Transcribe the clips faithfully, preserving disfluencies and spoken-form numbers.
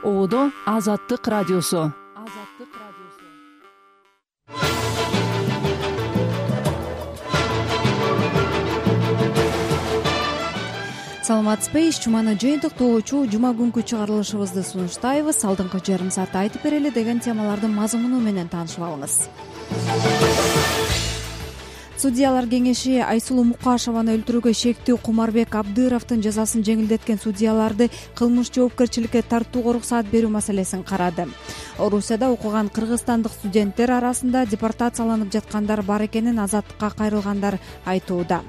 Оодо Азаттык радиосу. Саламатсызбы, иш жуманы жыйынтыктоочу жума күнкү чыгарылышыбызды сунуштайбыз. Алдыңкы жарым саатта айтып берели деген темалардын мазмуну менен таанышып алыңыз. Судьялар кеңеши Айсулуу Мукашеваны өлтүрүүгө шектүү Кумарбек Абдыровдун жазасын жеңилдеткен судьяларды кылмыш жоопкерчиликке тартууга уруксаат берүү маселесин карады. Орусияда окуган кыргызстандык студенттер арасында депортацияланып жаткандар бар экенин Азаттыкка кайрылгандар айтууда.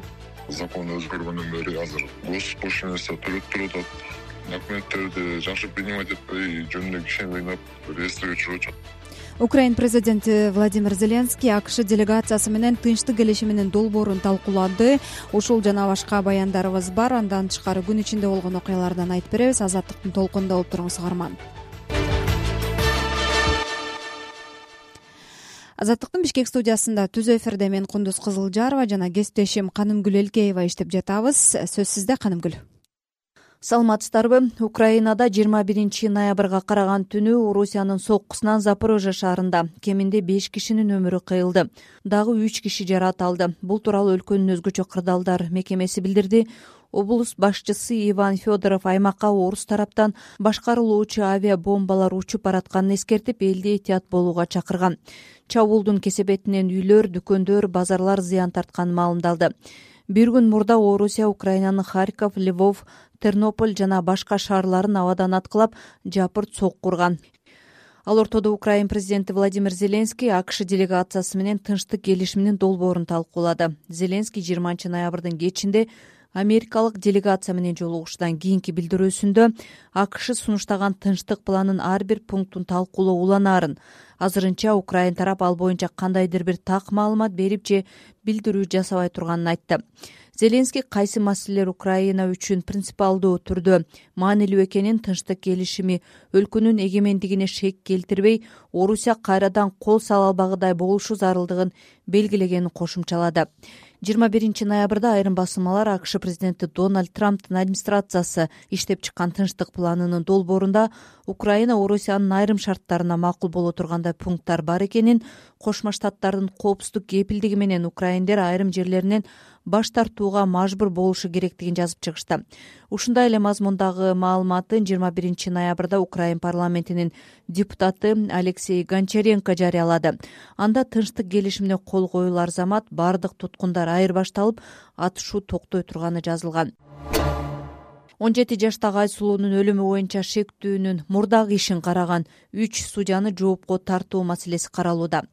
Закон өзгөргөндөн бери азыр госпошлинасын төлөп туруп атат. Документтерди жакшы принимать этпей, жөнүндө кишени кыйнап, реестрге түшүрүп атат. Украин президенти Владимир Зеленский АКШ делегациясы менен тынчтык келишиминин долбоорун талкуулады. Ушул жана башка баяндарыбыз бар. Андан тышкары күн ичинде болгон окуялардан айтып беребиз. Азаттыктын толкунунда болуп туруңуз, каарман. Азаттыктын Бишкек студиясында түзө эфирде мен Кундуз Кызылжарова жана кесиптешим Канымгүл Элкеева иштеп жатабыз. Сөз сизде, Канымгүл. Саламатсыздарбы? Украинада жыйырма биринчи ноябрга караган түнү Орусиянын соккусунан Запорожье шаарында кеминде беш кишинин өмүрү кыйылды. Дагы үч киши жаракат алды. Бул тууралуу өлкөнүн өзгөчө кырдаалдар мекемеси билдирди. Облус башчысы Иван Федоров аймакка орус тараптан башкарылуучу авиабомбалар учуп баратканын эскертип, элди этият болууга чакырган. Чабуулдун кесепетинен үйлөр, дүкөндөр, базарлар зыян тартканы маалымдалды. Бир күн мурда Орусия Украинанын Харьков, Львов, Тернополь жана башка шаарларын абадан аткылап, жапырт сокку урган. Ал ортодо Украин президенти Владимир Зеленский АКШ делегациясы менен тынчтык келишиминин долбоорун талкуулады. Зеленский жыйырманчы ноябрдын кечинде америкалык делегация менен жолугушуудан кийинки билдирүүсүндө АКШ сунуштаган тынчтык планын ар бир пунктун талкуулоо уланаарын, азырынча Украин тарап ал боюнча кандайдыр бир так маалымат берип же билдирүү жасабай турганын айтты. Зеленский кайсы маселелер Украина үчүн принципиалдуу түрдө маанилүү экенин, тынчтык келишими өлкөнүн эгемендигине шек келтирбей, Орусия кайрадан кол сала албагыдай болушу зарылдыгын белгилегенин кошумчалады. жыйырма биринчи ноябрда айрым басылмалар АКШ президенти Дональд Трамптын администрациясы иштеп чыккан тынчтык планынын долбоорунда Украина Орусиянын айрым шарттарына макул боло тургандай пункттар бар экенин, Кошмо Штаттардын коопсуздук кепилдиги менен украиндер айрым жерлеринен баш тартууга мажбур болушу керектигин жазып чыгышты. Ушундай эле мазмундагы маалыматын жыйырма биринчи ноябрда Украин парламентинин депутаты Алексей Гончаренко жарыялады. Анда тынчтык келишимине кол коюлар замат бардык туткундар айырбашталып, атышуу токтой турганы жазылган. он жети жаштагы Айсулуунун өлүмү боюнча шектүүнүн мурдагы ишин караган үч судьяны жоопко тартуу маселеси каралууда.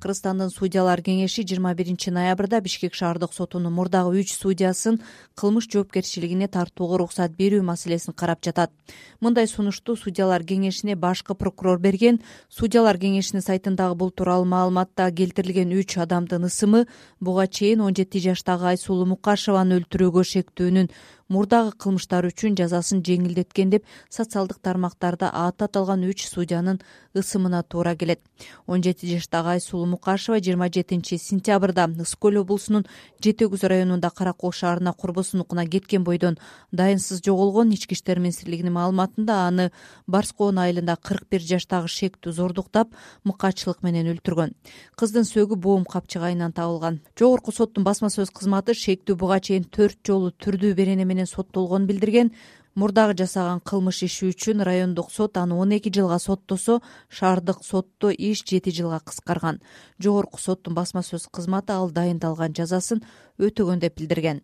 Кыргызстандын судьялар кеңеши жыйырма биринчи ноябрда Бишкек шаардык сотунун мурдагы үч судьясын кылмыш жоопкерчилигине тартууга уруксат берүү маселесин карап жатат. Мындай сунушту судьялар кеңешине башкы прокурор берген. Судьялар кеңешинин сайтындагы бул тууралуу маалыматта келтирилген үч адамдын ысымы буга чейин он жети жаштагы Айсулуу Мукашеваны өлтүрүүгө шектүүнүн мурдагы кылмыштары үчүн жазасын жеңилдеткен деп социалдык тармактарда аты аталган үч судьянын ысымына туура келет. он жети жаштагы Айсулуу Мукашева жыйырма жетинчи сентябрда Ысык көл облусунун Жети Өгүз районунда Каракол шаарына курбусунукуна кеткен бойдон дайынсыз жоголгон. Ички иштер министрлигинин маалыматында аны Барскоон айылында кырк бир жаштагы шектүү зордуктап, мыкаачылык менен өлтүргөн. Кыздын сөөгү боом капчыгайынан табылган. Жогорку соттун басма сөз кызматы шектүү буга чейин төрт жолу түрдүү берене менен соттолгонун билдирген. Мурдагы жасаган кылмыш иши үчүн райондук сот аны он эки жылга соттосо, шаардык сотто иш жети жылга кыскарган. Жогорку соттун басма сөз кызматы ал дайындалган жазасын өтөгөн деп билдирген.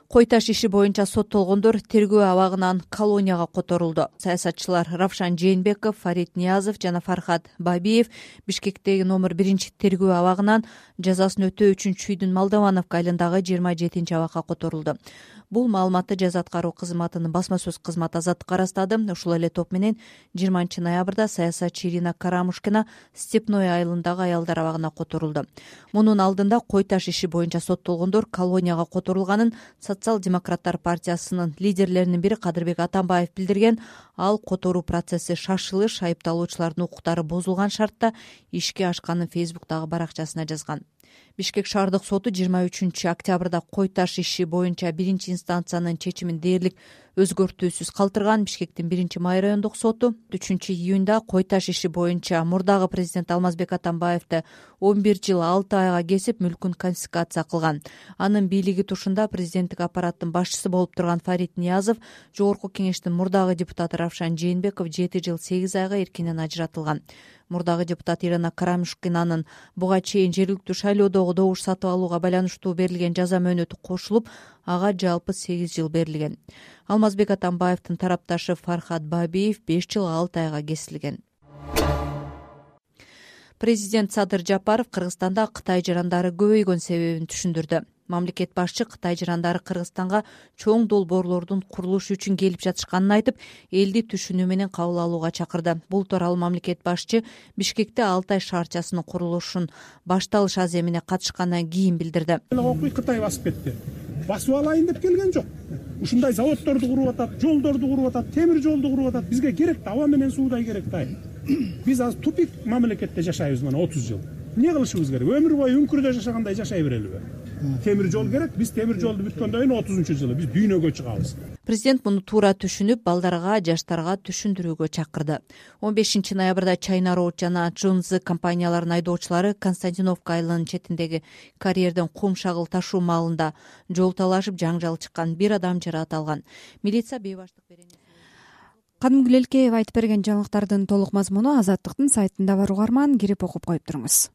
Кой таш иши боюнча соттолгондор тергөө абагынан колонияга которулду. Саясатчылар Равшан Жээнбеков, Фарид Ниязов жана Фархат Бабиев Бишкектеги номер биринчи тергөө абагынан жазасын өтөө үчүн Чүйдүн Молдовановка айылындагы жыйырма жетинчи абакка которулду. Бул маалыматты жаза аткаруу кызматынын басма сөз кызматы Азаттыкка ырастады. Ушул эле топ менен жыйырманчы ноябрда саясатчы Ирина Карамушкина Степной айылындагы аялдар абагына которулду. Мунун алдында кой таш иши боюнча соттолгондор колонияга которулганын Социал-демократтар партиясынын лидерлеринин бири Кадырбек Атамбаев билдирген. Ал которуу процесси шашылыш, айыпталуучулардын укуктары бузулган шартта ишке ашканын Фейсбуктагы баракчасына жазган. Бишкек шаардык соту жыйырма үчүнчү октябрда кой таш иши боюнча биринчи инстанциянын чечимин дээрлик өзгөртүүсүз калтырган. Бишкектин биринчи май райондук соту үчүнчү июнда кой таш иши боюнча мурдагы президент Алмазбек Атамбаевди он бир жыл алты айга кесип мүлкүн конфискация кылган. Анын бийлиги тушунда президенттик аппараттын башчысы болуп турган Фарид Ниязов, жогорку кеңештин мурдагы депутаты Равшан Жээнбеков жети жыл сегиз айга эркинен ажыратылган. Мурдагы депутат Ирина Карамушкинанын буга чейин жергиликтүү шайлоодогу добуш сатып алууга байланыштуу берилген жаза мөөнөтү кошулуп, ага жалпы сегиз жыл берилген. Алмазбек Атамбаевдин тарапташы Фархат Бабиев беш жыл алты айга кесилген. Президент Садыр Жапаров Кыргызстанда Кытай жарандары көбөйгөн себебин түшүндүрдү. Мамлекет башчы Кытай жарандары Кыргызстанга чоң долбоорлордун курулушу үчүн келип жатышканын айтып, элди түшүнүү менен кабыл алууга чакырды. Бул тууралуу мамлекет башчы Бишкекте Алтай шаарчасынын курулушун башталыш аземине катышкандан кийин билдирди. Кытай басып кетти. Басып алайын деп келген жок. Ушундай заводдорду куруп атат, жолдорду куруп атат, темир жолду куруп атат. Бизге керек да, аба менен суудай керек да. Биз азыр тупик мамлекетте жашайбыз мына отуз жыл. Эмне кылышыбыз керек? Өмүр бою үңкүрдө жашагандай жашай берелиби? Темир жол керек. Биз темир жолду бүткөндөн кийин отузунчу жылы биз дүйнөгө чыгабыз. Президент муну туура түшүнүп, балдарга, жаштарга түшүндүрүүгө чакырды. он бешинчи ноябрда China Road жана Junzi компанияларынын айдоочулары Константиновка айылынын четиндеги карьерден кум шагыл ташуу маалында жол талашып жаңжал чыккан, бир адам жаракат алган. Милиция бейбаштык берени. Кадымгүл Элкеев айтып берген жаңылыктардын толук мазмуну Азаттыктын сайтында бар. Угарман, кирип окуп коюп туруңуз.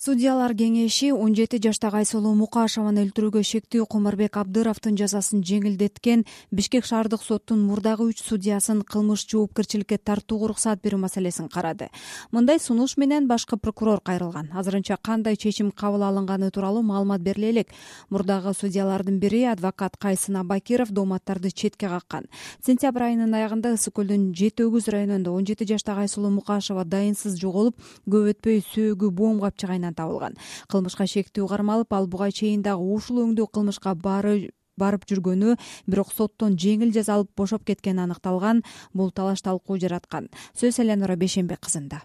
Судьялар кеңеши он жети жаштагы Айсулуу Мукашеваны өлтүрүүгө шектүү Кумарбек Абдыровдун жазасын жеңилдеткен Бишкек шаардык соттун мурдагы үч судьясын кылмыш жоопкерчиликке тартууга уруксат берүү маселесин карады. Мындай сунуш менен башкы прокурор кайрылган. Азырынча кандай чечим кабыл алынганы тууралуу маалымат бериле элек. Мурдагы судьялардын бири адвокат Кайсын Абакиров дооматтарды четке каккан. Сентябрь айынын аягында Ысык көлдүн Жети Өгүз районунда он жети жаштагы Айсулуу Мукашева дайынсыз жоголуп, көп өтпөй сөөгү боом капчыгайынан табылган. Кылмышка шектүү кармалып, ал буга чейин дагы ушул өңдүү кылмышка бары барып жүргөнү, бирок соттон жеңил жаза алып бошоп кеткени аныкталган. Бул талаш талкуу жараткан. Сөз Эленора Бешенбек кызында.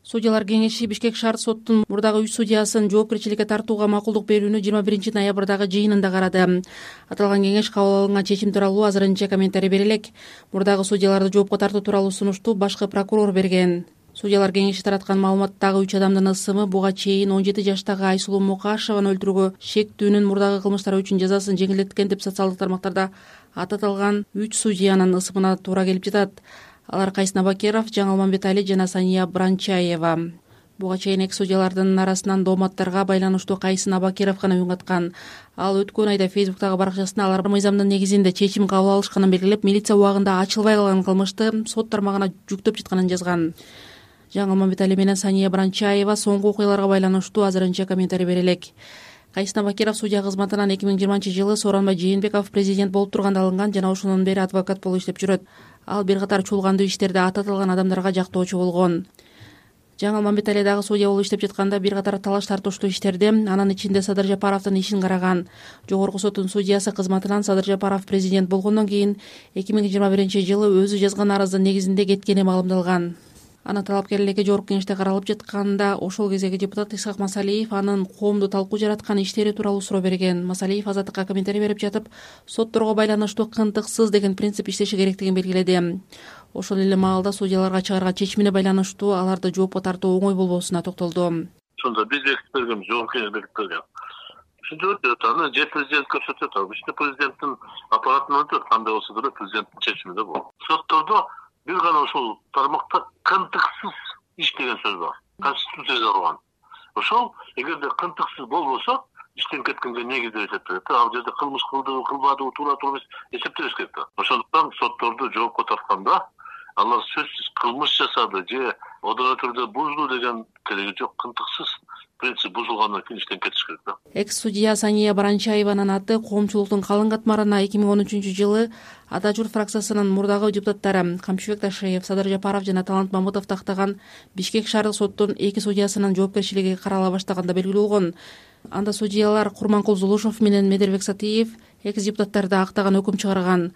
Судьялар кеңеши Бишкек шаар соттун мурдагы үч судьясын жоопкерчиликке тартууга макулдук берүүнү жыйырма биринчи ноябрдагы жыйынында карады. Аталган кеңеш кабыл алынган чечим тууралуу азырынча комментарий бере элек. Мурдагы судьяларды жоопко тартуу тууралуу сунушту башкы прокурор берген. Судьялар кеңеши тараткан маалыматтагы үч адамдын ысымы буга чейин он жети жаштагы Айсулуу Мукашеваны өлтүрүүгө шектүүнүн мурдагы кылмыштары үчүн жазасын жеңилдеткен деп социалдык тармактарда ататылган үч судьянын ысымына туура келип жатат. Алар Кайсын Абакиров, Жаңыл Мамбетали жана Сания Бранчаева. Буга чейин эки судьялардын арасынан дооматтарга байланыштуу Кайсын Абакиров гана үн каткан. Ал өткөн айда Фейсбуктагы баракчасында алар мыйзамдын негизинде чечим кабыл алышканын белгилеп, милиция убагында ачылбай калган кылмышты сот тармагына жүктөп жатканын жазган. Жаңыл Мамбетали менен Сания Бранчаева соңку окуяларга байланыштуу азырынча комментарий бере элек. Кайсын Абакиров судья кызматынан эки миң жыйырманчы жылы Сооронбай Жээнбеков президент болуп турганда алынган жана ошондон бери адвокат болуп иштеп жүрөт. Ал бир катар чуулгандуу иштерде ататылган адамдарга жактоочу болгон. Жаңыл Мамбетали дагы судья болуп иштеп жатканда бир катар талаш тартыштуу иштерде, анын ичинде Садыр Жапаровдун ишин караган. Жогорку соттун судьясы кызматынан Садыр Жапаров президент болгондон кийин эки миң жыйырма биринчи жылы өзү жазган арыздын негизинде кеткени маалымдалган. Анын талапкерлиги жогорку кеңеште каралып жатканда ошол кездеги депутат Исхак Масалиев анын коомду талкуу жараткан иштери тууралуу суроо берген. Масалиев Азаттыкка комментарий берип жатып, сотторго байланыштуу кынтыксыз деген принцип иштеши керектигин белгиледи. Ошол эле маалда судьяларга чыгарган чечимине байланыштуу аларды жоопко тартуу оңой болбоосуна токтолду. Сонда биз бекитип бергенбиз, жогорку кеңеш бекитип берген. Ушинтип өтөт, аны же президент көрсөтөт, иште президенттин аппаратынан өтөт, кандай болсо да президенттин чечимиде болот. Соттордо бир гана ошол тармакта кынтыксыз иш деген сөз бар. Конституцияда жазылган. Ошол эгерде кынтыксыз болбосо, иштен кеткенге негиз деп эсептелет. Ал жерде кылмыш кылдыбы, кылбадыбы, туура туура эмес эсептелиш керек да. Ошондуктан сотторду жоопко тартканда алар сөзсүз кылмыш жасады же одон өтүрдө бузду деген кереги жок. Кынтыксыз принцип бузулгандан кийин иштен кетиш керек да. Экс судья Сания Бранчаеванын аты коомчулуктун калың катмарына эки миң он үчүнчү жылы Ата журт фракциясынын мурдагы депутаттары Камчыбек Ташиев, Садыр Жапаров жана Талант Мамытов тактаган Бишкек шаардык соттун эки судьясынын жоопкерчилиги карала баштаганда белгилүү болгон. Анда судьялар Курманкул Зулушев менен Медербек Сатиев экс депутаттарды актаган өкүм чыгарган.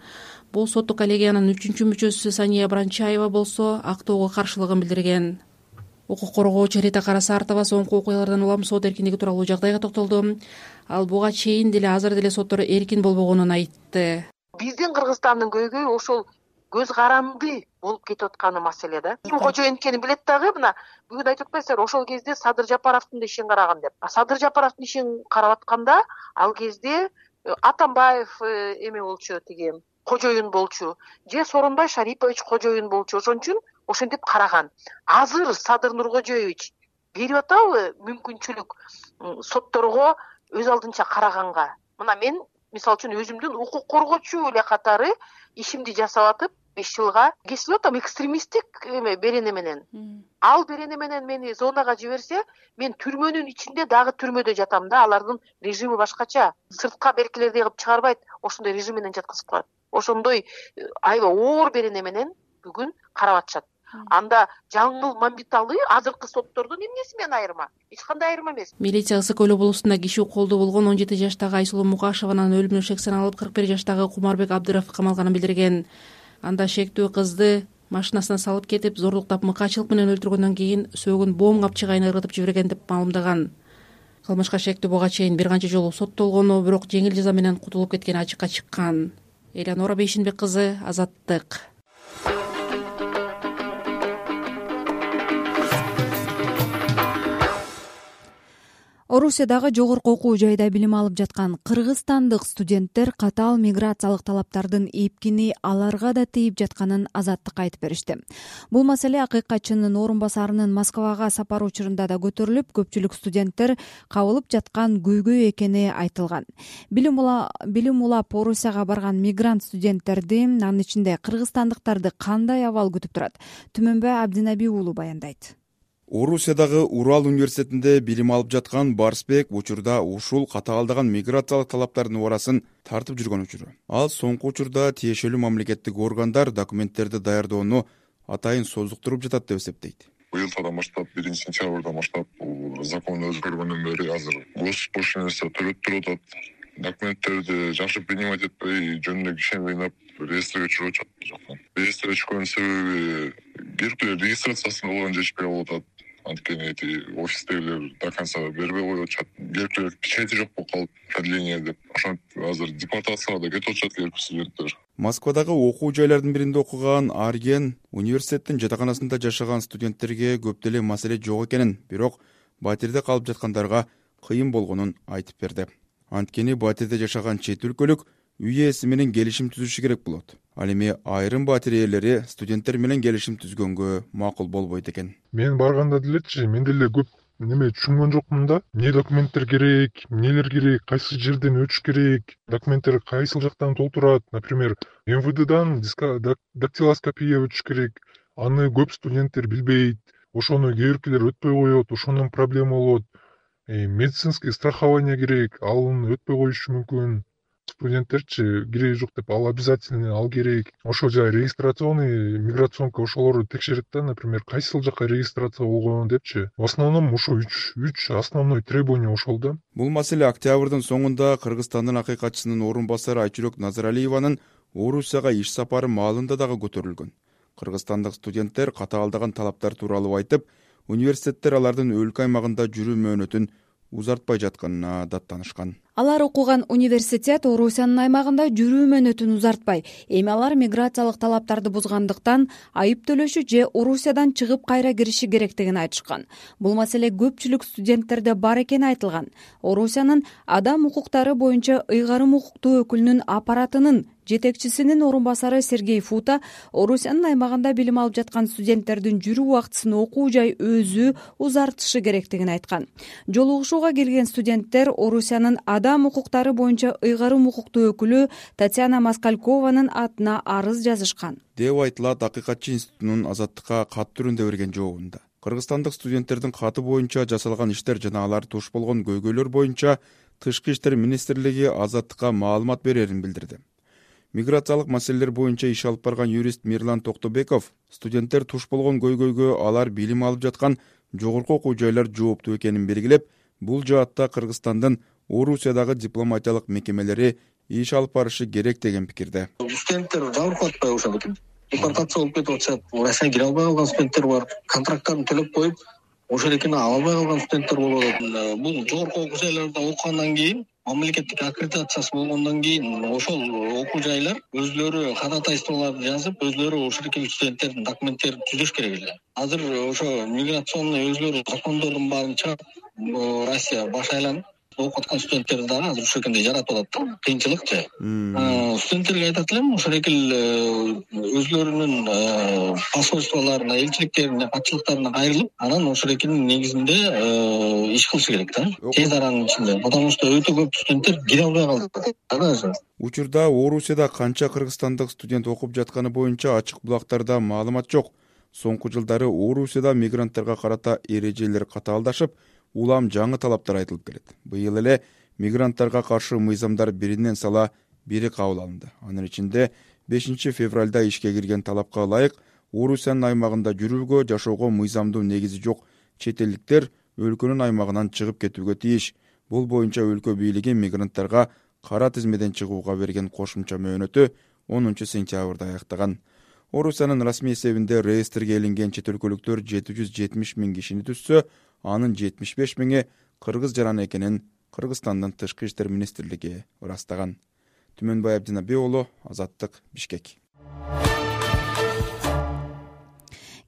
Бул соттук коллегиянын үчүнчү мүчөсү Сания Бранчаева болсо актоого каршылыгын билдирген. укук коргоочу Рита Карасартова соңку окуялардан улам сот эркиндиги тууралуу жагдайга токтолду. Ал буга чейин деле азыр деле соттор эркин болбогонун айтты. Биздин Кыргызстандын көйгөйү ошол көз каранды болуп кетип атканы маселе да. Ким кожоюн экенин билет дагы, мына бүгүн айтып атпайсыздарбы, ошол кезде Садыр Жапаровдун да ишин караган деп. Садыр Жапаровдун ишин карап атканда ал кезде Атамбаев эме болчу, тиги кожоюн болчу, же Сооронбай Шарипович кожоюн болчу. Ошон үчүн ошентип караган. Азыр Садыр Нуркожоевич берип атабы мүмкүнчүлүк сотторго өз алдынча караганга? Мына мен мисалы үчүн өзүмдүн укук коргоочу эле катары ишимди жасап атып беш жылга кесип атам экстремисттик эме берене менен. Ал берене менен мени зонага жиберсе, мен түрмөнүн ичинде дагы түрмөдө жатам да. Алардын режими башкача. Сыртка беркилердей кылып чыгарбайт, ошондой режим менен жаткызып коет. Ошондой аябай оор берене менен бүгүн карап атышат. Анда Жаңыл Мамбеталы азыркы соттордун эмнеси менен айырма? Эч кандай айырма эмес. Милиция Ысык Көл облусунда киши колдо болгон он жети жаштагы Айсулуу Мукашеванын өлүмүнө шек саналып, кырк бир жаштагы Кумарбек Абдыров камалганын билдирген. Анда шектүү кызды машинасына салып кетип, зорлуктап мыкаачылык менен өлтүргөндөн кийин сөөгүн бом капчыгайын ыргытып жиберген деп маалымдаган. Кылмышка шектүү буга чейин бир канча жолу соттолгону, бирок жеңил жаза менен кутулуп кеткени ачыкка чыккан. Элеонора Бейшинбек кызы, Азаттык. Орусиядагы жогорку окуу жайда билим алып жаткан кыргызстандык студенттер катаал миграциялык талаптардын эпкини аларга да тийип жатканын Азаттыкка айтып беришти. Бул маселе акыйкатчынын орун басарынын Москвага сапары учурунда да көтөрүлүп, көпчүлүк студенттер кабылып жаткан көйгөй экени айтылган. Билим билим улап Орусияга барган мигрант студенттерди, анын ичинде кыргызстандыктарды кандай абал күтүп турат? Түмөнбай Абдинаби уулу баяндайт. Орусиядагы Урал университетинде билим алып жаткан Барсбек учурда ушул катаалдаган миграциялык талаптардын урасын тартып жүргөн учуру. Ал соңку учурда тиешелүү мамлекеттик органдар документтерди даярдоону атайын созуктуруп жатат деп эсептейт. Быйылдан баштап, биринчи сентябрдан баштап закон өзгөргөндөн бери азыр госпошлинасын төлөп туруп атат. Документтерди жакшы принимать этпей, жөнүнө кишени ыйнап, реестрге чыгып атат жактан. Реестрге чыккан себеби бир регистрациясын болгон жетишпей болуп атат. Анткени эти офистегилер до конца бербей коюп атышат. Биркилер печати жок болуп калып, продление деп. Ошентип азыр депортацияга да кетип атышат эркек студенттер. Москвадагы окуу жайлардын биринде окуган Арген университеттин жатаканасында жашаган студенттерге көп деле маселе жок экенин, бирок батирде калып жаткандарга кыйын болгонун айтып берди. Анткени батирде жашаган чет өлкөлүк үй ээси менен келишим түзүшү керек болот. Ал эми айрым батир ээлери студенттер менен келишим түзгөнгө макул болбойт экен. Мен барганда делечи, мен деле көп неме түшүнгөн жокмун да. Эмне документтер керек, эмнелер керек, кайсы жерден өтүш керек, документтер кайсыл жактан толтурат. Например, эм вэ дэдан дактилоскопия өтүш керек. Аны көп студенттер билбейт. Ошону кээ биркилер өтпөй коет, ошондон проблема болот. Медицинский страхование керек, ал өтпөй коюшу мүмкүн. Студенттерчи кереги жок деп, ал обязательно, ал керек. Ошол жай регистрационный миграционка ошолорду текшерет да, например, кайсыл жакка регистрация болгон депчи. В основном ошо үч үч основной требование ошол да. Бул маселе октябрдын соңунда Кыргызстандын акыйкатчысынын орун басары Айчүрөк Назаралиеванын Орусияга иш сапары маалында дагы көтөрүлгөн. Кыргызстандык студенттер катаалдаган талаптар тууралуу айтып, университеттер алардын өлкө аймагында жүрүү мөөнөтүн узартпай жатканына даттанышкан. Алар окуган университет Орусиянын аймагында жүрүү мөөнөтүн узартпай, эми алар миграциялык талаптарды бузгандыктан айып төлөшү же Орусиядан чыгып кайра кириши керектигин айтышкан. Бул маселе көпчүлүк студенттерде бар экени айтылган. Орусиянын адам укуктары боюнча ыйгарым укуктуу өкүлүнүн аппаратынын жетекчисинин орун басары Сергей Фута Орусиянын аймагында билим алып жаткан студенттердин жүрүү убактысын окуу жай өзү узартышы керектигин айткан. Жолугушууга келген студенттер Орусиянын адам укуктары боюнча ыйгарым укуктуу өкүлү Татьяна Москалькованын атына арыз жазышкан деп айтылат Акыйкатчы институтунун Азаттыкка кат түрүндө берген жообунда. Кыргызстандык студенттердин каты боюнча жасалган иштер жана алар туш болгон көйгөйлөр боюнча Тышкы иштер министрлиги Азаттыкка маалымат берерин билдирди. Миграциялык маселелер боюнча иш алып барган юрист Мирлан Токтобеков студенттер туш болгон көйгөйгө алар билим алып жаткан жогорку окуу жайлар жооптуу экенин белгилеп, бул жаатта Кыргызстандын Орусиядагы дипломатиялык мекемелери иш алып барышы керек деген пикирде. Студенттер жабыркап атпайбы ошол депортация болуп кетип атышат. Россияга кире албай калган студенттер бар. Контракттарын төлөп коюп, ошол экени ала албай калган студенттер болуп атат. Бул жогорку окуу жайларда окугандан кийин, мамлекеттик аккредитациясы болгондон кийин ошол окуу жайлар өзлөрү ходатайстволорду жазып, өзлөрү ошол студенттердин документтерин түзөш керек эле. Азыр ошо миграционный өзлөрү закондордун баарын чыгарып, Россия баш айланып окуп аткан студенттерди дагы азыр ушул экенде жаратып атат да. Кыйынчылыкчы. Студенттерге айтат элем, ошол экил өзлөрүнүн посольстволоруна, элчиликтерине, катчылыктарына кайрылып, анан ошол экинин негизинде иш кылышы керек да. Тез аранын ичинде. Потому что өтө көп студенттер кире албай калды. Учурда Орусияда канча кыргызстандык студент окуп жатканы боюнча ачык булактарда маалымат жок. Соңку жылдары Орусияда мигранттарга карата эрежелер катаалдашып, улам жаңы талаптар айтылып келет. Быйыл эле мигранттарга каршы мыйзамдар биринен сала бири кабыл алынды. Анын ичинде бешинчи февралда ишке кирген талапка ылайык Орусиянын аймагында жүрүүгө, жашоого мыйзамдуу негизи жок чет элдиктер өлкөнүн аймагынан чыгып кетүүгө тийиш. Бул боюнча өлкө бийлиги мигранттарга кара тизмеден чыгууга берген кошумча мөөнөтү онунчу сентябрда аяктаган. Орусиянын расмий эсебинде реестрге илинген чет өлкөлүктөр жети жүз жетимиш миң кишини түзсө, анын жетимиш беш миңи кыргыз жараны экенин Кыргызстандын тышкы иштер министрлиги ырастаган. Түмөнбай Абдинаби уулу, Азаттык, Бишкек.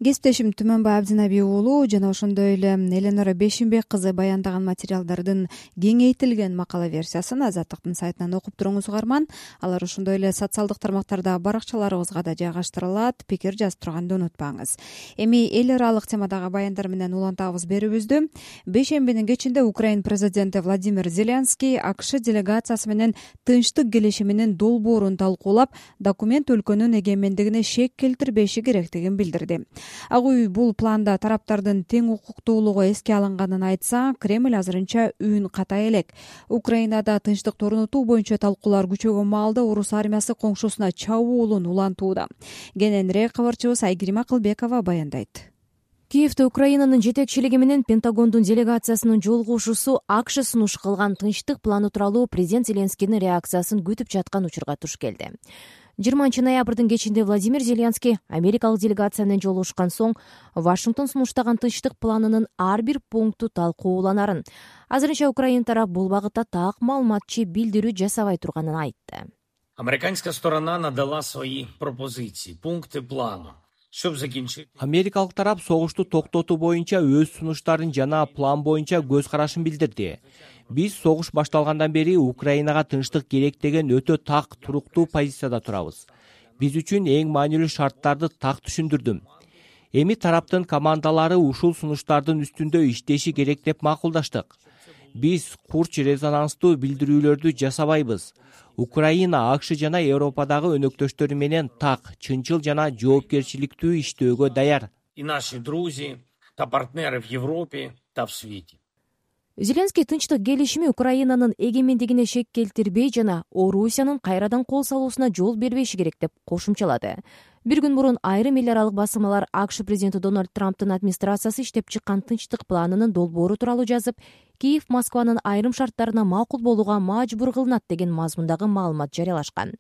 Кесиптешим Түмөнбай Абдинаби уулу жана ошондой эле Эленора Бешимбек кызы баяндаган материалдардын кеңейтилген макала версиясын Азаттыктын сайтынан окуп туруңуз угарман. Алар ошондой эле социалдык тармактарда баракчаларыбызга да жайгаштырылат. Пикир жазып турганды унутпаңыз. Эми эл аралык темадагы баяндар менен улантабыз берүүбүздү. Бейшембинин кечинде Украин президенти Владимир Зеленский АКШ делегациясы менен тынчтык келишиминин долбоорун талкуулап, документ өлкөнүн эгемендигине шек келтирбеши керектигин билдирди. Ак үй бул планда тараптардын тең укуктуулугу эске алынганын айтса, Кремль азырынча үн катай элек. Украинада тынчтыкты орнотуу боюнча талкуулар күчөгөн маалда орус армиясы коңшусуна чабуулун улантууда. Кененирээк кабарчыбыз Айгерим Акылбекова баяндайт. Киевде Украинанын жетекчилиги менен Пентагондун делегациясынын жолугушуусу АКШ сунуш кылган тынчтык планы тууралуу президент Зеленскийдин реакциясын күтүп жаткан учурга туш келди. жыйырманчы ноябрдын кечинде Владимир Зеленский америкалык делегация менен жолугушкан соң Вашингтон сунуштаган тынчтык планынын ар бир пункту талкууланарын, азырынча Украина тарап бул багытта так маалыматчы билдирүү жасабай турганын айтты. Американская сторона надала свои пропозиции, пункты плана. Америкалык тарап согушту токтотуу боюнча өз сунуштарын жана план боюнча көз карашын билдирди. Биз согуш башталгандан бери Украинага тынчтык керек деген өтө так, туруктуу позицияда турабыз. Биз үчүн эң маанилүү шарттарды так түшүндүрдүм. Эми тараптын командалары ушул сунуштардын үстүндө иштеши керек деп макулдаштык. Биз курч резонанстуу билдирүүлөрдү жасабайбыз. Украина, АКШ жана Европадагы өнөктөштөрү менен так, чынчыл жана жоопкерчиликтүү иштөөгө даяр. И наши друзья, та партнеры в Европе, та в свете. Зеленский тынчтык келишими Украинанын эгемендигине шек келтирбей жана Орусиянын кайрадан кол салуусуна жол бербеши керек деп кошумчалады. Бир күн мурун айрым эл аралык басылмалар АКШ президенти Дональд Трамптын администрациясы иштеп чыккан тынчтык планынын долбоору тууралуу жазып, Киев Москванын айрым шарттарына макул болууга мажбур кылынат деген мазмундагы маалымат жарыялашкан.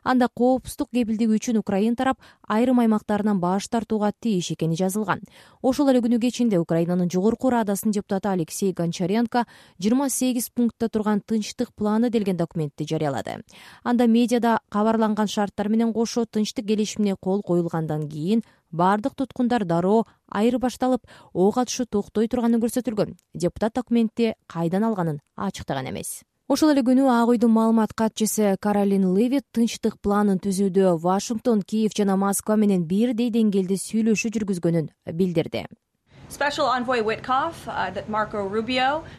Анда коопсуздук кепилдиги үчүн Украина тарап айрым аймактарынан баш тартууга тийиш экени жазылган. Ошол эле күнү кечинде Украинанын жогорку радасынын депутаты Алексей Гончаренко жыйырма сегиз пунктта турган тынчтык планы делген документти жарыялады. Анда медиада кабарланган шарттар менен кошо тынчтык келишимине кол коюлгандан кийин бардык туткундар дароо айырбашталып, ок атышы токтой турганы көрсөтүлгөн. Депутат документти кайдан алганын ачыктаган эмес. Ошол эле күнү Ак үйдүн маалымат катчысы Каролин Левит тынчтык планын түзүүдө Вашингтон, Киев жана Москва менен бирдей деңгээлде сүйлөшүү жүргүзгөнүн билдирди.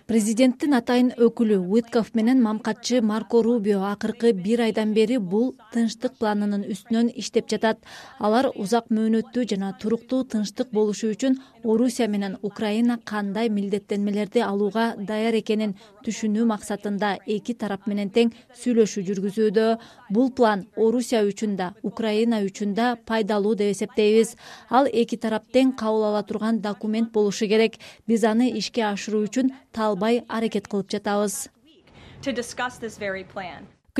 Президенттин атайын өкүлү Уиткоф менен мамкатчы Марко Рубио акыркы бир айдан бери бул тынчтык планынын үстүнөн иштеп жатат. Алар узак мөөнөттүү жана туруктуу тынчтык болушу үчүн Орусия менен Украина кандай милдеттенмелерди алууга даяр экенин түшүнүү максатында эки тарап менен тең сүйлөшүү жүргүзүүдө. Бул план Орусия үчүн да, Украина үчүн да пайдалуу деп эсептейбиз. Ал эки тарап тең кабыл ала турган документ болушу керек. Биз аны ишке ашыруу үчүн талбай аракет кылып жатабыз.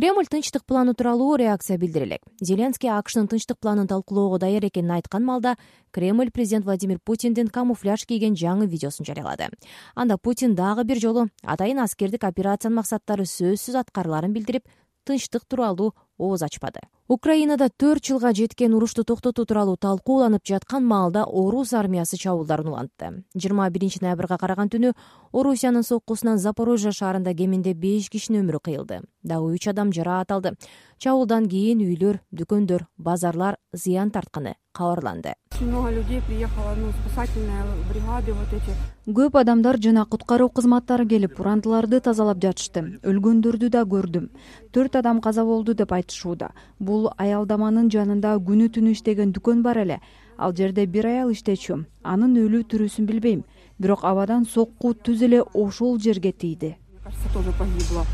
Кремль тынчтык планы тууралуу реакция билдире элек. Зеленский АКШнын тынчтык планын талкуулоого даяр экенин айткан малда Кремль президент Владимир Путиндин камуфляж кийген жаңы видеосун жарыялады. Анда Путин дагы бир жолу атайын аскердик операциянын максаттары сөзсүз аткарыларын билдирип, тынчтык тууралуу ооз ачпады. Украинада төрт жылга жеткен урушту токтотуу тууралуу талкууланып жаткан маалда орус армиясы чабуулдарын улантты. жыйырма биринчи ноябрга караган түнү Орусиянын соккусунан Запорожье шаарында кеминде беш кишинин өмүрү кыйылды. Дагы үч адам жараат алды. Чабуулдан кийин үйлөр, дүкөндөр, базарлар зыян тартканы кабарланды. Много людей приехало, ну, спасательные бригады вот эти. Көп адамдар жана куткаруу кызматтары келип, урандыларды тазалап жатышты. Өлгөндөрдү да көрдүм. Төрт адам каза болду деп айтышууда. Бул аялдаманын жанында күнү түнү иштеген дүкөн бар эле. Ал жерде бир аял иштечү. Анын өлүү тирүүсүн билбейм. Бирок абадан сокку түз эле ошол жерге тийди. Кажется, тоже погибла,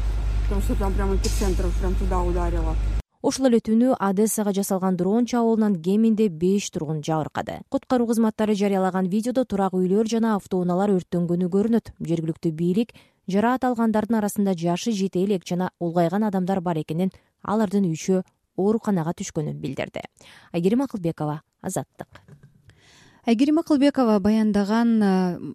потому что там прямо эпицентр прям туда ударило. Ошол эле түнү Одессага жасалган дрон чабуулунан кеминде беш тургун жабыркады. Куткаруу кызматтары жарыялаган видеодо турак үйлөр жана автоунаалар өрттөнгөнү көрүнөт. Жергиликтүү бийлик жараат алгандардын арасында жашы жете элек жана улгайган адамдар бар экенин, алардын үчөө ооруканага түшкөнүн билдирди. Айгерим Акылбекова, Азаттык. Айгерим Акылбекова баяндаган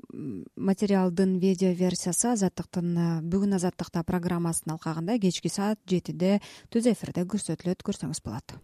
материалдын видео версиясы Азаттыктын бүгүн Азаттыкта программасынын алкагында кечки саат жетиде түз эфирде көрсөтүлөт, көрсөңүз болот.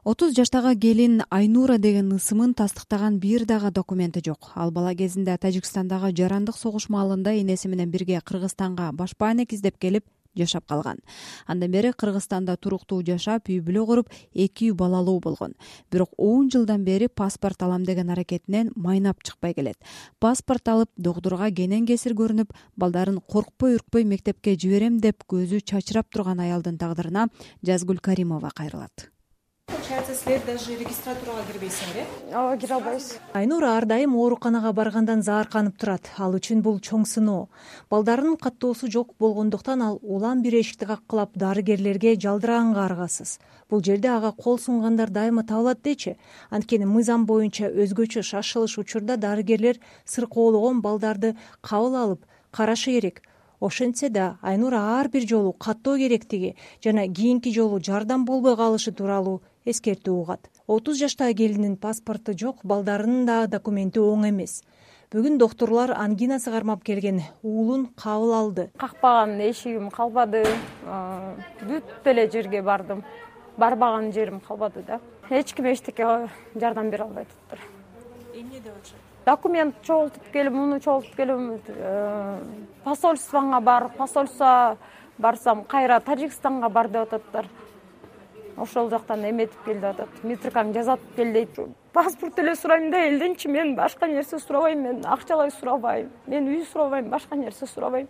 отуз жаштагы келин Айнура деген ысымын тастыктаган бир дагы документи жок. Ал бала кезинде Тажикстандагы жарандык согуш маалында энеси менен бирге Кыргызстанга башпаанек издеп келип жашап калган. Андан бери Кыргызстанда туруктуу жашап, үй бүлө куруп, эки үй балалуу болгон. Бирок он жылдан бери паспорт алам деген аракетинен майнап чыкпай келет. Паспорт алып, доктурга кенен кесир көрүнүп, балдарын коркпой үркпөй мектепке жиберем деп көзү чачырап турган аялдын тагдырына Жазгүл Каримова кайрылат. Получается, силер даже регистратурага кирбейсиңер, э? Ооба, кире албайбыз. Айнура ар дайым ооруканага баргандан заарканып турат. Ал үчүн бул чоң сыноо. Балдарынын каттоосу жок болгондуктан ал улам бир эшикти каккылап дарыгерлерге жалдыраганга аргасыз. Бул жерде ага кол сунгандар дайыма табылат дечи. Анткени мыйзам боюнча өзгөчө шашылыш учурда дарыгерлер сыркоологон балдарды кабыл алып карашы керек. Ошентсе да Айнура ар бир жолу каттоо керектиги жана кийинки жолу жардам болбой калышы тууралуу эскертүү угат. отуз жаштагы келиндин паспорту жок, балдарынын да документи оң эмес. Бүгүн доктурлар ангинасы кармап келген уулун кабыл алды. Какпаган эшигим калбады. Бүт эле жерге бардым. Барбаган жерим калбады да. Эч ким эчтеке жардам бере албай атыптыр. Эмне деп атышат? Документ чогултуп келип, муну чогултуп келип, посольствоңа бар, посольство барсам, кайра Тажикстанга бар деп ататтар. Ошол жактан эметип кел деп атат. Митркаң жазатып кел дейт. Паспорт эле сурайм да, элденчи мен башка нерсе сурабайм, мен акчалай сурабайм, мен үй сурабайм, башка нерсе сурабайм.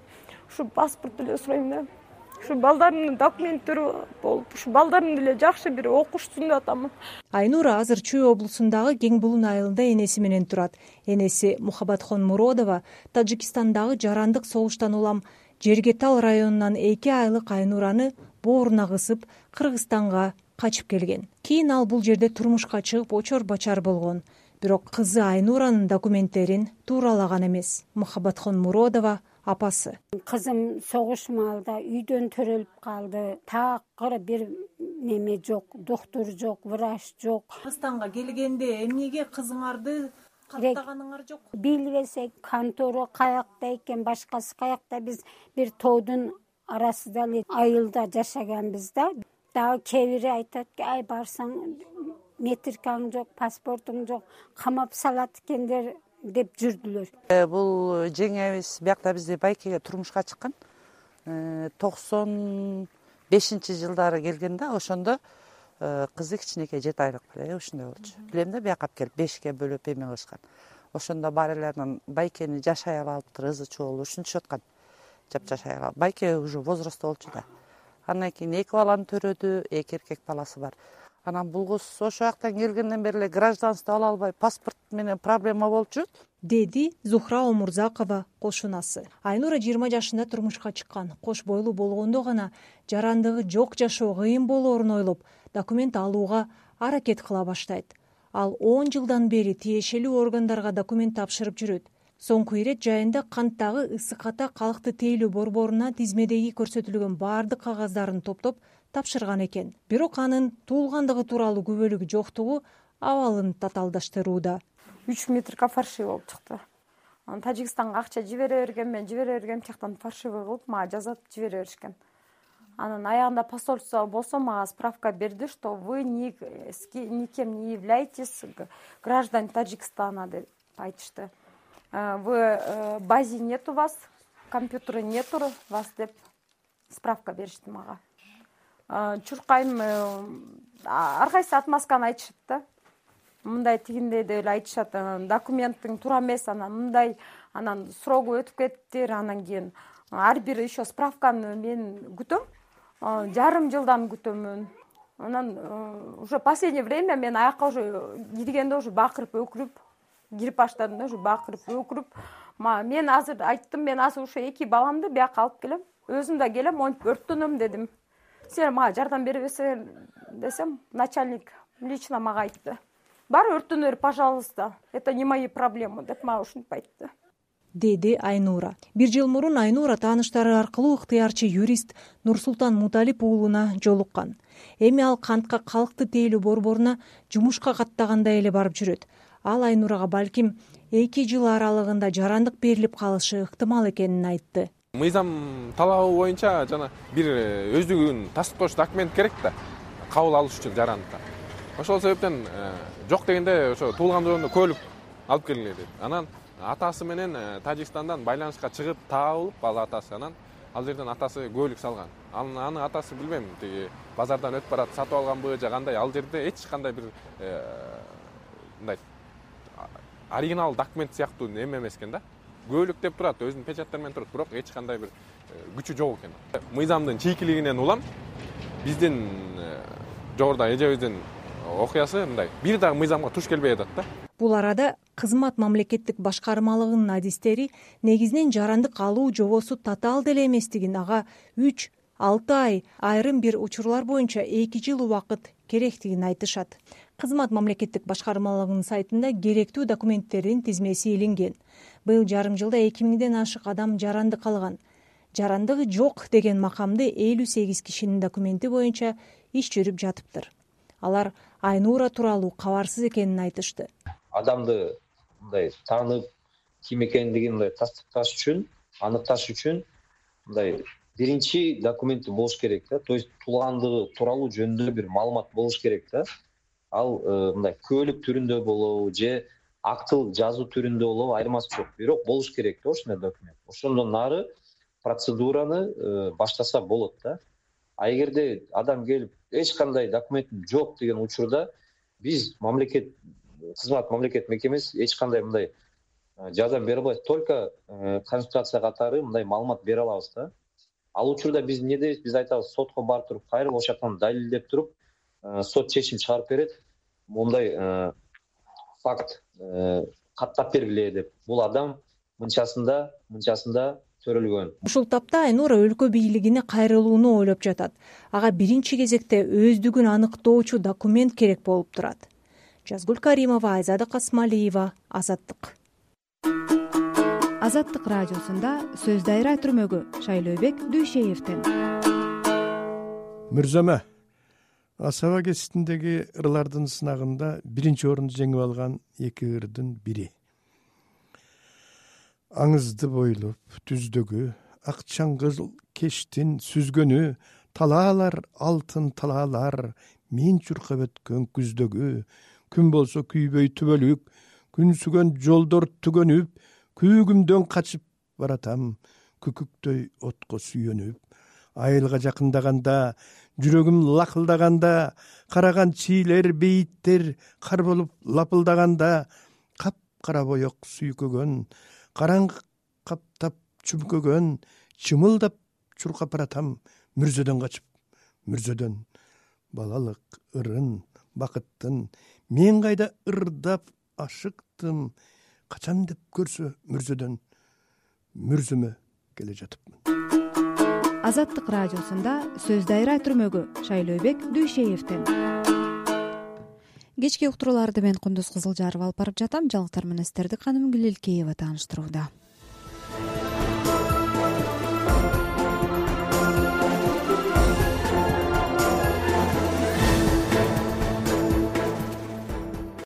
Ушу паспорт эле сурайм да. Ушу балдарымдын документтери болуп, ушу балдарым деле жакшы бир окушсун деп атам. Айнура азыр Чүй облусундагы Кең Булун айылында энеси менен турат. Энеси Мухаббатхон Муродова Тажикстандагы жарандык согуштан улам Жергетал районунан эки айлык Айнураны бооруна кысып Кыргызстанга качып келген. Кийин ал бул жерде турмушка чыгып очор бачар болгон. Бирок кызы Айнуранын документтерин тууралаган эмес. Мухаббатхон Муродова апасы. Кызым согуш маалда үйдөн төрөлүп калды. Такыр бир неме жок, доктор жок, врач жок. Кыргызстанга келгенде эмнеге кызыңарды каттаганыңар жок? Билбесек, контора каякта экен, башкасы каякта, биз бир тоодун арасында эле айылда жашаганбыз да. Дагы кээ бири айтат, ай барсаң метркаң жок, паспортуң жок, камап салат экендер деп жүрдүлөр. Бул жеңебиз биякта бизде байкеге турмушка чыккан. токсон бешинчи жылдары келген да, ошондо кызы кичинекей жети айлык эле ушундай болчу. Билем да, бияка алып келип бешикке бөлүп эме кылышкан. Ошондо бар эле анан байкени жашай алыптыр, ызы чуу ушинтишип аткан. Жап жашай алып. Байке уже возрастта болчу да. Андан кийин эки баланы төрөдү, эки эркек баласы бар. Анан бул кыз ошол жактан келгенден бери эле гражданство ала албай, паспорт менен проблема болчу, деди Зухра Омурзакова кошунасы. Айнура жыйырма жашында турмушка чыккан. Кош бойлуу болгондо гана жарандыгы жок жашоо кыйын болоорун ойлоп, документ алууга аракет кыла баштайт. ал он жылдан бери тиешелүү органдарга документ тапшырып жүрөт. Соңку ирет жайында канттагы ысык ата калкты тейлөө борборуна тизмедеги көрсөтүлгөн баардык кагаздарын топтоп тапшырган экен. Бирок анын туулгандыгы тууралуу күбөлүгү жоктугу абалын татаалдаштырууда. үч метрге фальшивый болуп чыкты. Анан Тажикстанга акча жибере берген, мен жибере бергем, тияктан фальшивый кылып мага жазатып жибере беришкен. Анан аягында посольство болсо мага справка берди, что вы никем не являетесь граждан Таджикстана деп айтышты. В базе нет у вас, компьютера нету вас деп справка беришти мага. Чуркайм ар кайсы отмазканы айтышат да. Мындай тигиндей деп эле айтышат. Документтин туура эмес, анан мындай, анан срогу өтүп кетиптир, анан кийин ар бир еще справканы мен күтөм. Жарым жылдан күтөмүн. Анан уже последнее время мен аякка уже киргенде уже бакырып өкүрүп кирип баштадым да, уже бакырып өкүрүп. Мен азыр айттым, мен азыр ушу эки баламды бияка алып келем. Өзүм да келем, монтип өрттөнөм дедим. Силер мага жардам бере берсеңер десем, начальник лично мага айтты. Бар өрттөнөр, пожалуйста. Это не мои проблемы деп мага ушинтип айтты. Деди Айнура. Бир жыл мурун Айнура тааныштары аркылуу ыктыярчы юрист Нурсултан Муталип уулуна жолуккан. Эми ал кантка калкты тейлөө борборуна жумушка каттагандай эле барып жүрөт. Ал Айнурага балким эки жыл аралыгында жарандык берилип калышы ыктымал экенин айтты. Мыйзам талабы боюнча жана бир өздүгүн тастыктоочу документ керек да, кабыл алыш үчүн жарандыкка. Ошол себептен жок дегенде ошо туулгандыгында көлүк алып келгиле деп. Анан атасы менен Тажикстандан байланышка чыгып табылып, ал атасы анан ал жерден атасы көлүк салган. Анын атасы билбейм, тиги базардан өтүп барат, сатып алганбы же кандай, ал жерде эч кандай бир мындай оригинал документ сыяктуу эме эмес экен да. Көлүк деп турат, өзүнүн печаттары менен турат, бирок эч кандай бир күчү жок экен. Мыйзамдын чийкилигинен улам биздин жогоруда эжебиздин окуясы мындай бир дагы мыйзамга туш келбей атат да. Бул арада кызмат мамлекеттик башкармалыгынын адистери негизинен жарандык алуу жобосу татаал деле эместигин, ага үч алты ай, айрым бир учурлар боюнча эки жыл убакыт керектигин айтышат. Кызмат мамлекеттик башкармалыгынын сайтында керектүү документтердин тизмеси илинген. Быйыл жарым жылда эки миңден ашык адам жарандык алган. Жарандыгы жок деген макамды элүү сегиз кишинин документи боюнча иш жүрүп жатыптыр. Алар Айнура тууралуу кабарсыз экенин айтышты. Адамды мындай таанып, ким экендигин мындай тастыкташ үчүн, аныкташ үчүн мындай биринчи документи болуш керек да. То есть туулгандыгы тууралуу жөнүндө бир маалымат болуш керек да. Ал мындай көлүк түрүндө болобу же актыл жазуу түрүндө болобу айырмасы жок. Бирок болуш керек да ошондой документ. Ошондон нары процедураны баштаса болот да. А эгерде адам келип эч кандай документим жок деген учурда биз мамлекет кызмат мамлекет мекемеси эч кандай мындай жардам бере албайт. Только консультация катары мындай маалымат бере алабыз да. Ал учурда биз эмне дейбиз? Биз айтабыз, сотко барып туруп, кайрылып ошол жактан далилдеп туруп, сот чечим чыгарып берет. Мондай факт каттап бергиле деп. Бул адам мынчасында, мынчасында төрөлгөн. Ушул тапта Айнура өлкө бийлигине кайрылууну ойлоп жатат. Ага биринчи кезекте өздүгүн аныктоочу документ керек болуп турат. Жазгүл Каримова, Айзада Касмалиева, Азаттык. Азаттык радиосунда сөз дайра түрмөгү Шайлообек Дүйшеевден. Мырзама, Асаба кеситиндеги ырлардын сынагында биринчи орунду жеңип алган эки ырдын бири. Аңызды бойлоп түздөгү, ак чаңгыл кештин сүзгөнү, талаалар алтын талаалар, мен чуркап өткөн күздөгү, күн болсо күйбөй түбөлүк, күнсүгөн жолдор түгөнүп, күйгүмдөн качып баратам, күкүктөй отко сүйөнүп. Айылга жакындаганда, жүрөгүм лакылдаганда, караган чийлер, бейиттер кар болуп лапылдаганда, кап-кара боек сүйкөгөн, караңгы каптап чүмкөгөн, чымылдап чуркап баратам, мүрзөдөн качып, мүрзөдөн. Балалык ырын, бакыттын, мен кайда ырдап ашыктым, качан деп көрсө мүрзөдөн, мүрзөмө келе жатыпмын. Азаттык радиосунда сөз дайра түрмөгү Шайлообек Дүйшеевден. кечки уктурууларды мен Кундуз Кызылжарова алып барып жатам. Жаңылыктар менен сиздерди Каным Гилелкеева тааныштырууда.